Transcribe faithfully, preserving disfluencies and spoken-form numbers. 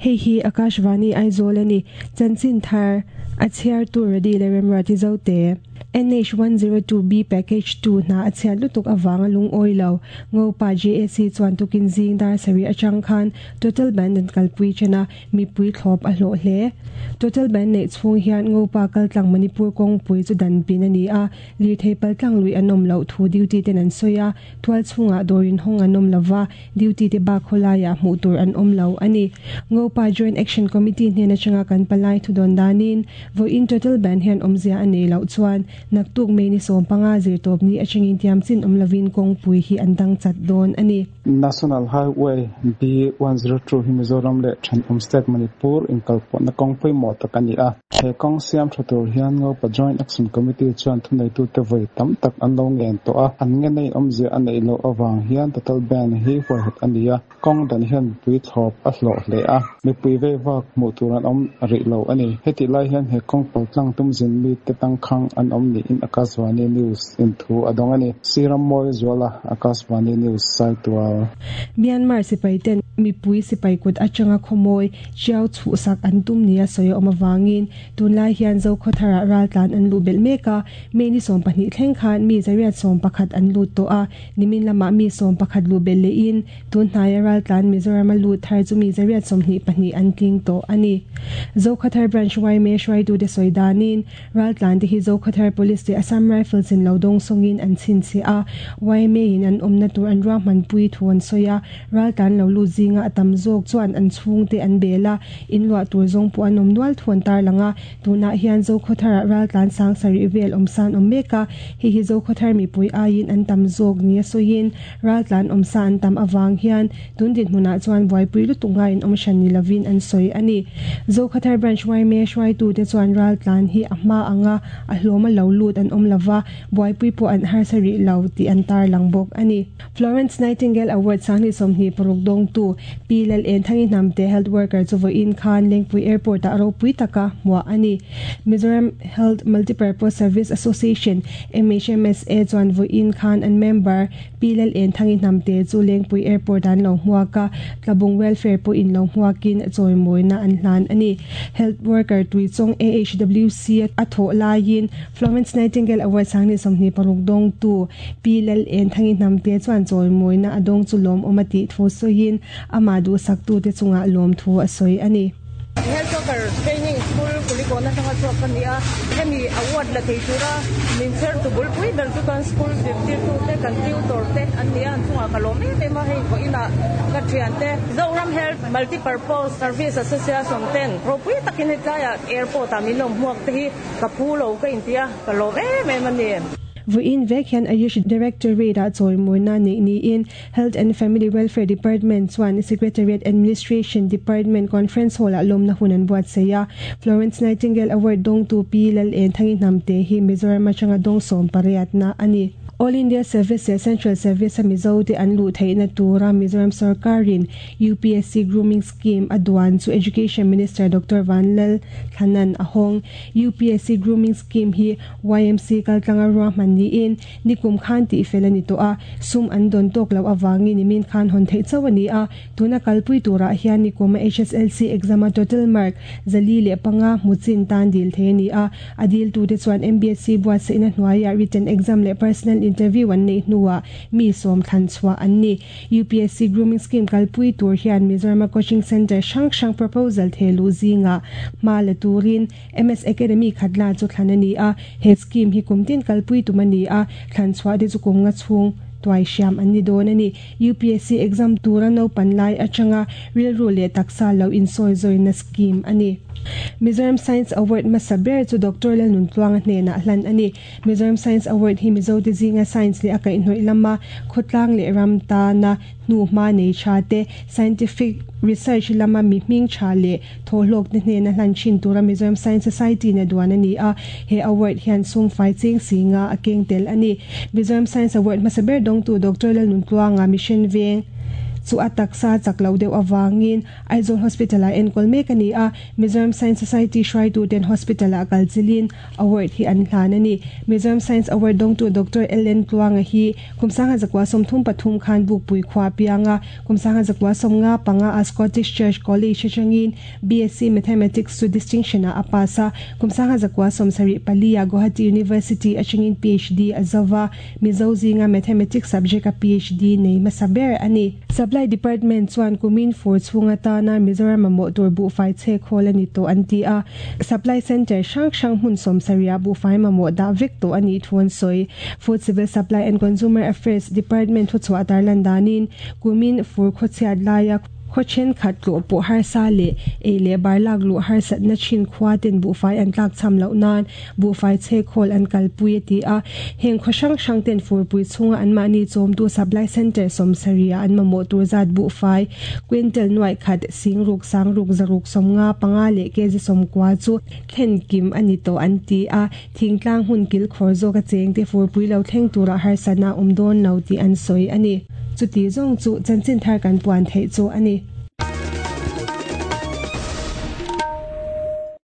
Hei hi Akashvani Aizawl ani. Chanchin thar a chhiar tu Redi leh Remruati Zote. N H one zero two B Package two hna a chhiat lutuk avanga lungawi lo. Ngopa J A C chuan tukin zing dar sarih atang khan Total Band an kalpui chena mipui thlawp a hlawh hle. Total Band nei chhung hian Ngopa kaltlang Manipur kawngpui chu dan pin ani a, lirthei paltlang lui an awm loh thu duty ten an sawi a, tual chhungah dawrin hawng an awm lova, duty te bak khawlaiah hmuh tur an awm lo ani. Ngopa Joint Action Committee hnen atanga kan palai thu dawn danin vawiin Total Band hian awmzia a nei loh chuan naktuk mei ni sawm panga zir tawp ni atangin tiam chin awm lovin kawngpui hi an dang chat dawn ani. National Highway B one zero two hi Mizoram leh Thenawm State Manipur inkalpawhna kawngpui maw tak ani a. He kawng siam tha tur hian Ngopa Joint Action Committee chuan thuneitu te vawi tam tak an lo ngen tawh a, an nge nei awmzia a neih loh awang hian Total Band hi huaihawt ani a. Kawng dan hian mipui thlawp a hlawh hle a, mipui vei vak hmuh tur an awm rih lo ani. Heti lai hian he kawng paltlang tum zin mi te tangkhang an awm niin Akashvani News in thu a dawng ani. Siram Mawi Zuala, Akashvani News, Saitual. Myanmar sipai ten mipui sipai kut atanga khawmawi chiao chhuh sak an tum nia sawi awm awangin tunlai hian zo khawthara ral tlan an lu belh mek a, mei ni sawm pahnih thleng khan mi zariat sawm pakhat an lut tawh a, nimin lamah mi sawm pakhat lu belh lehin tun hnaia ral tlan Mizoram a lut thar chu mi zariat sawmhnih pahnih an tling tawh ani. Zo khawthar branch Y M A hruaitu te sawi danin ral tlan te hi zo khawthar police te Assam Rifles in lo dawng sawngin an chhin che a, Y M A in an awmna tur an ruahman pui thu an sawi a, ral tlan lo lut zinga a tam zawk chuan an chhung te an bel a, in luah tur zawng pawh an awm nual thu an tar lang a, tunah hian zo khawthara ral tlan sang sarih vel awm san awm mek a, hei hi zo khawthar mipui aiin an tam zawk nia sawiin ral tlan awm sa an tam awang hian tun din hmunah chuan buaipui lutuk ngaiin awm hran ni lovin an sawi ani. Zo khawthar branch Y M A hruaitu te chuan ral tlan hi a hma anga a hlawm a lo lut an awm lova, buaipui pawh an har sarih lo tih an tar lang bawk ani. Florence Nightingale Award sangni sawmhnih paruk dawng tu Pi Lal En Thangi Hnamte health worker chu vawiin khan Lengpui Airport ah ropui taka hmuah ani. Mizoram Health Multipurpose Service Association M H M S A chuan vawiin khan an member Pi Lal En Thangi Hnamte chu Lengpui Airport an lo hmuaka, Tlabung Welfare pawh in lo hmuakin chawimawina an hlan ani. Health worker tuichawng A H W C a thawh laiin Florence Nightingale Award sangni sawmhnih paruk dawng tu Pi Lal En Thangi Hnamte chuan chawimawina a dawng chu lawm awm a tih thu sawiin ama duh sak tu te chungah lawm thu a sawi ani. Health worker training school kulikona tanga chuak kan nia, hemi award la thei tura min cher tu bul pui ber chu kan school zirtir tu te kan tutor te an nia, an chunga ka lawm em em a, hei vawiin ah ka thian te Zoram Health Multipurpose Service Association ten ropui takin hetlaiah airport ah min lo hmuak te hi ka phu lo ka intia ka lawm em em ani. Vawiin vek hian Ayush Directorate ah chawimawina nei niin Health and Family Welfare Department chuan Secretariat Administration Department Conference Hall ah lawmna hun an buat sei a. Florence Nightingale Award dawng tu Pi Lal En Thangi Hnamte hi Mizoram atanga dawng sawm pariat na ani. All India Service leh Central Service a Mizo te an luh theihna tura Mizoram Sarkarin U P S C Grooming Scheme a duan chu Education Minister Doctor Vanlal Thlanan a hawng. U P S C Grooming Scheme hi Y M C kaltlanga ruahman niin nikum khan tih fel ani tawh a, sum an dawn tawk lo awangin nimin khan hawn theih chauh ani a, tuna kalpui turah hian nikum a H S L C exam a total mark zali leh panga hmuchin tan dil thei ani a, a dil tu te chuan M B S C buatsaihna hnuaiah written exam leh personal interview an nei hnuah mi sawm thlan chhuah an ni. U P S C Grooming Scheme kalpui tur hian Mizoram Coaching Center hrang hrang proposal thelu zinga hma la turin M S Academy khatla chu thlan ani a, he scheme hi kumtin kalpui tum ani a, thlan chhuah te chu kum nga chhung tuai siam an ni dawn ani. U P S C exam tura no panlai atanga rilru leh taksa lo in sawi zawina scheme ani. Mizoram Science Award masaber chu Doctor Lalnun Tluanga hnena hlan ani. Mizoram Science Award hi Mizo te zinga science le akai hnoi lama khotlang le ram ta na hnu hma nei tha te scientific research lama mi hming tha le tholok te hnena hlan thin tura Mizoram Science Society na duan ani a, he award hian sum fai cheng singa a keng tel ani. Mizoram Science Award masaber dong tu Doctor Lalnun Tluanga Mission Veng Chu a taksa chak lo deuh awangin Aizawl Hospital a enkawl mek ani a. Mizoram Science Society hruaitu ten hospital a kalchilin award hi an hlan ani. Mizoram Science Award dawngtu Doctor L N Tluanga hi kum sangha zakwa sawmthum pathum khan Bukpui khua pianga kum sangha zakwa sawmnga panga a Scottish Church College atangin B S C Mathematics chu distinction a apasa kum sangha zakwa sawmsarih pali a Guwahati University atangin P H D a zawa Mizo zinga Mathematics subject a P H D nei hmasa ber ani. Supply Department chuan kumin fur chhunga tana Mizoram mamawh tur buhfai che khawl ani to an ti a. Supply Center hrang hrang hmun sawmsaria buhfai mamawh dah vek to ani thuan sawi. Food Civil Supply and Consumer Affairs Department thu chhuah tarlan danin kumin fur khawchhiat laia khawchen khat tluh pawh harsa leh ei leh bar lak luh harsatna thin khua ten buhfai an tlak cham loh nan buhfai che khawl an kalpui a ti a. Heng khaw hrang hrang ten furpui chhunga an mahni chawmtu supply center sawmsaria an mamawh tur zat buhfai quintal nuai khat singruk sangruk zaruk sawmnga panga leh kg sawmkua chu thlen kim ani to an ti a. Thingtlang hun kil khawr zawk a cheng te furpui lo thleng tura harsatna awm dawn lo tih an sawi ani. Chuti zawng chu chanchin thar kan puan theih chu ani.